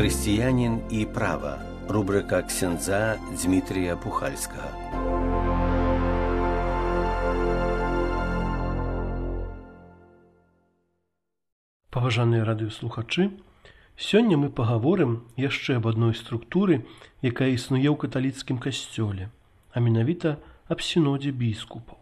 Християнин и право. Рубрика ксяндза Дмитрия Пухальского. Паважаныя радыёслухачы, сёння мы пагаворым яшчэ аб адной структуры, якая існуе ў каталіцкім касцёле, а менавіта аб сінодзе біскупаў.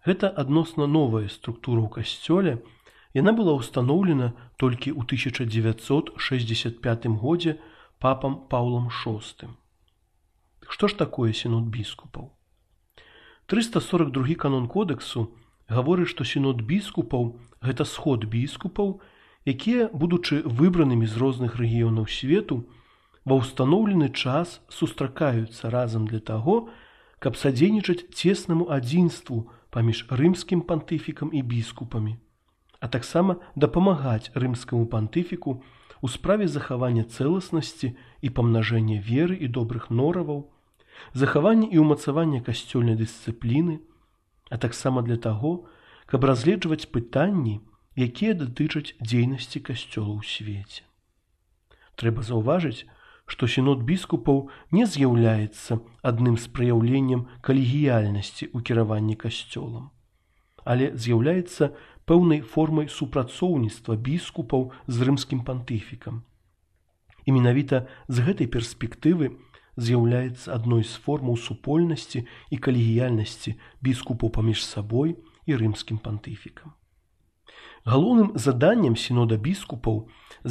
Гэта адносна новая структура ў касцёле, яна была ўстаноўлена толькі ў 1965 годзе папам Паўлам VI. Што ж такое сінод біскупаў? 342 канон кодэксу гаворыць, што сінод біскупаў – гэта сход біскупаў, якія, будучы выбранымі з розных рэгіёнаў свету, ва ўстаноўлены час сустракаюцца разам для таго, каб садзейнічаць цеснаму адзінству паміж рымскім пантыфікам і біскупамі, а таксама дапамагаць рымскаму пантыфіку у справе захавання цэласнасці і памнажэння веры і добрых нораваў, захавання і ўмацавання касцёльнай дысцыпліны, а таксама для таго, каб разгледжваць пытанні, якія датычаць дзейнасці касцёла ў свеце. Трэба заўважыць, што сінод біскупаў не з'яўляецца адным з праяўленнем калегіяльнасці ў кіраванні касцёлам, але з'яўляецца пэўнай формай супрацоўніцтва біскупаў з рымскім пантыфікам. І менавіта з гэтай перспектывы з'яўляецца адной з формаў супольнасці і калегіяльнасці біскупаў паміж сабой і рымскім пантыфікам. Галоўным заданнем сінода біскупаў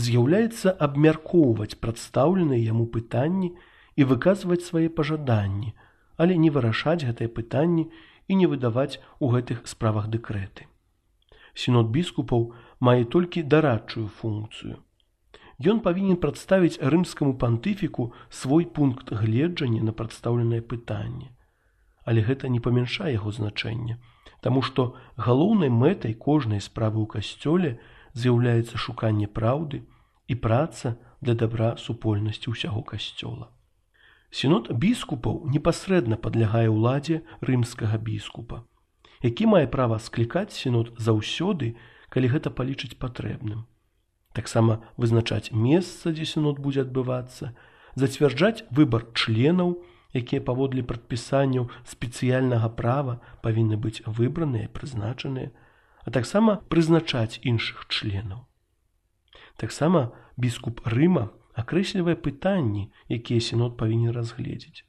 з'яўляецца абмяркоўваць прадстаўленыя яму пытанні і выказваць свае пажаданні, але не вырашаць гэтыя пытанні і не выдаваць у гэтых справах дэкрэты. Сінод біскупаў мае толькі дарадчую функцыю. Ён павінен прадставіць рымскаму пантыфіку свой пункт гледжання на прадстаўленае пытанне. Але гэта не памяншае яго значэння, таму што галоўнай мэтай кожнай справы ў касцёле з'яўляецца шуканне праўды і праца для дабра супольнасці ўсяго касцёла. Сінод біскупаў непасрэдна падлягае ўладзе рымскага біскупа, які мае права склікаць сінод заўсёды, калі гэта палічыць патрэбным. Таксама вызначаць месца, дзе сінод будзе адбывацца, зацвярджаць выбар членаў, якія паводле прадпісанняў спецыяльнага права павінны быць выбраныя і прызначаныя, а таксама прызначаць іншых членаў. Таксама біскуп Рыма акрэслівае пытанні, якія сінод павінен разгледзець.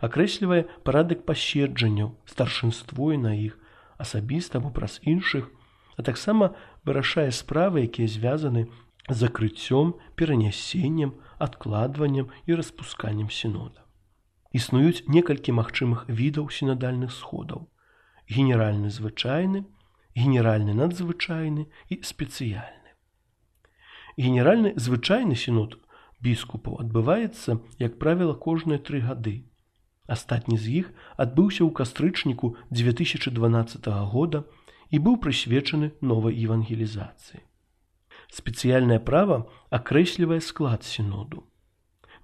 Акрэслівае парадак паседжанняў, старшынство на іх, асабіста або праз іншых, а таксама вырашае справы, якія звязаны з закрыццём, перанясеннем, адкладваннем і распусканнем сінода. Існуюць некалькі магчымых відаў сінадальных сходаў: генеральны звычайны, генеральны надзвычайны і спецыяльны. Генеральны звычайны сінод біскупаў адбываецца, як правіла, кожныя 3 гады. Астатні з іх адбыўся ў кастрычніку 2012 года і быў прысвечаны новай евангелізацыі. Спецыяльнае права акрэслівае склад сіноду.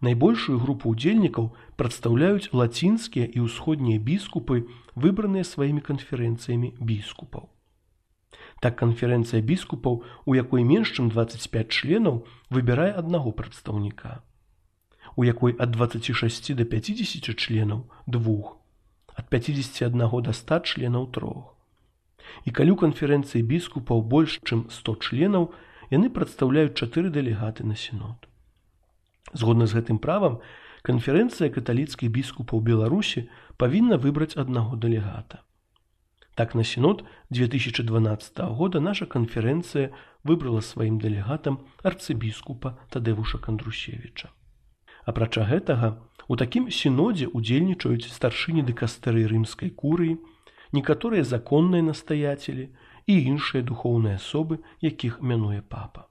Найбольшую групу ўдзельнікаў прадстаўляюць лацінскія і ўсходнія біскупы, выбраныя сваімі канферэнцыямі біскупаў. Так канферэнцыя біскупаў, у якой менш чым 25 членаў, выбірае аднаго прадстаўніка, у якой ад 26 до 50 членаў – 2, ад 51 до 100 членаў – 3. І калі ў канферэнцыі біскупаў больш чым 100 членаў, яны прадстаўляюць 4 дэлегаты на сінод. Згодна з гэтым правам, канферэнцыя каталіцкіх біскупаў Беларусі павінна выбраць аднаго дэлегата. Так на сінод 2012 года наша канферэнцыя выбрала сваім дэлегатам арцыбіскупа Тадэвуша Кандрусевіча. Апрача гэтага, у такім сінодзе удзельнічаюць старшыні дыкастэрыі рымскай курыі, некаторыя законныя настаяцелі і іншыя духоўныя асобы, якіх мянуе папа.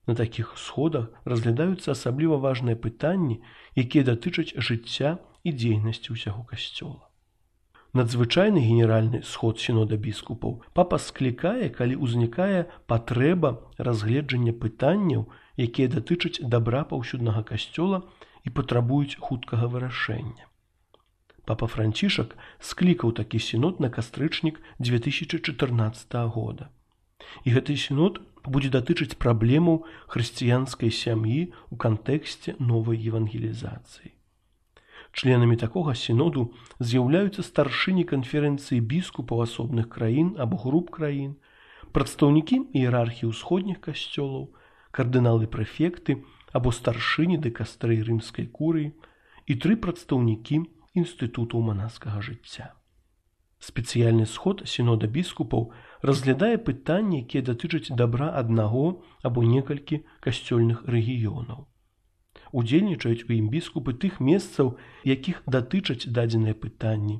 На такіх сходах разглядаюцца асабліва важныя пытанні, якія датычаць жыцця і дзейнасці ўсяго касцёла. Надзвычайны генеральны сход сінода біскупаў папа склікае, калі ўзнікае патрэба разгледжання пытанняў, якія датычаць дабра паўсюднага касцёла і патрабуюць хуткага вырашэння. Папа Францішак склікаў такі сінод на кастрычнік 2014 года. І гэты сінод будзе датычыць праблемаў хрысціянскай сям'і ў кантэксце новай евангелізацыі. Членамі такога сіноду з'яўляюцца старшыні канферэнцыі біскупаў асобных краін або груп краін, прадстаўнікі іерархіі ўсходніх касцёлаў, кардыналы-прэфекты або старшыні дыкастрэй рымскай курыі і 3 прадстаўнікі інстытутаў манаскага жыцця. Спецыяльны сход сінода біскупаў разглядае пытанні, якія датычаць дабра аднаго або некалькі касцёльных рэгіёнаў. Удзельнічаюць у ім біскупы тых месцаў, якіх датычаць дадзеныя пытанні,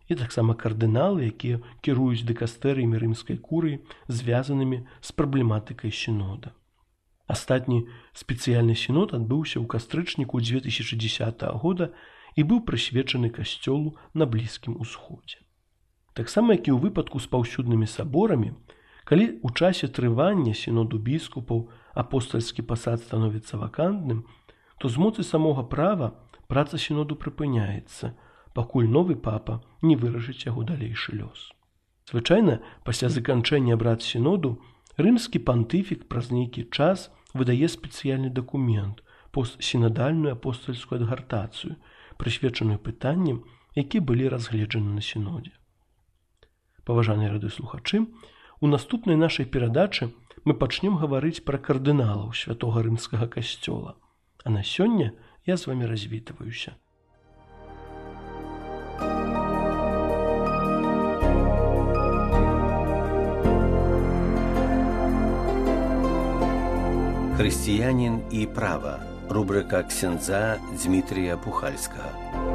і таксама кардыналы, якія кіруюць дыкастэрыямі рымскай курыі, звязанымі з праблематыкай сінода. Астатні спецыяльны сінод адбыўся ў кастрычніку 2010 года і быў прысвечаны касцёлу на Блізкім Усходзе. Таксама, як і ў выпадку з паўсюднымі саборамі, калі ў часе трывання сіноду біскупаў апостальскі пасад становіцца вакантным, то з моцы самога права праца сіноду прыпыняецца, пакуль новы папа не вырашыць яго далейшы лёс. Звычайна, пасля заканчэння абрад сіноду, рымскі пантыфік праз нейкі час выдае спецыяльны дакумент, постсінадальную апостальскую адгартацыю, прысвечаную пытанням, якія былі разгледжаны на сінодзе. Паважаныя радыёслухачы, у наступнай нашай перадачы мы пачнем гаварыць пра кардыналаў святога рымскага касцёла. А на сёння я з вамі развітваюся. Хрысціянін і права. Рубрика ксяндза Дзмітрія Пухальскага.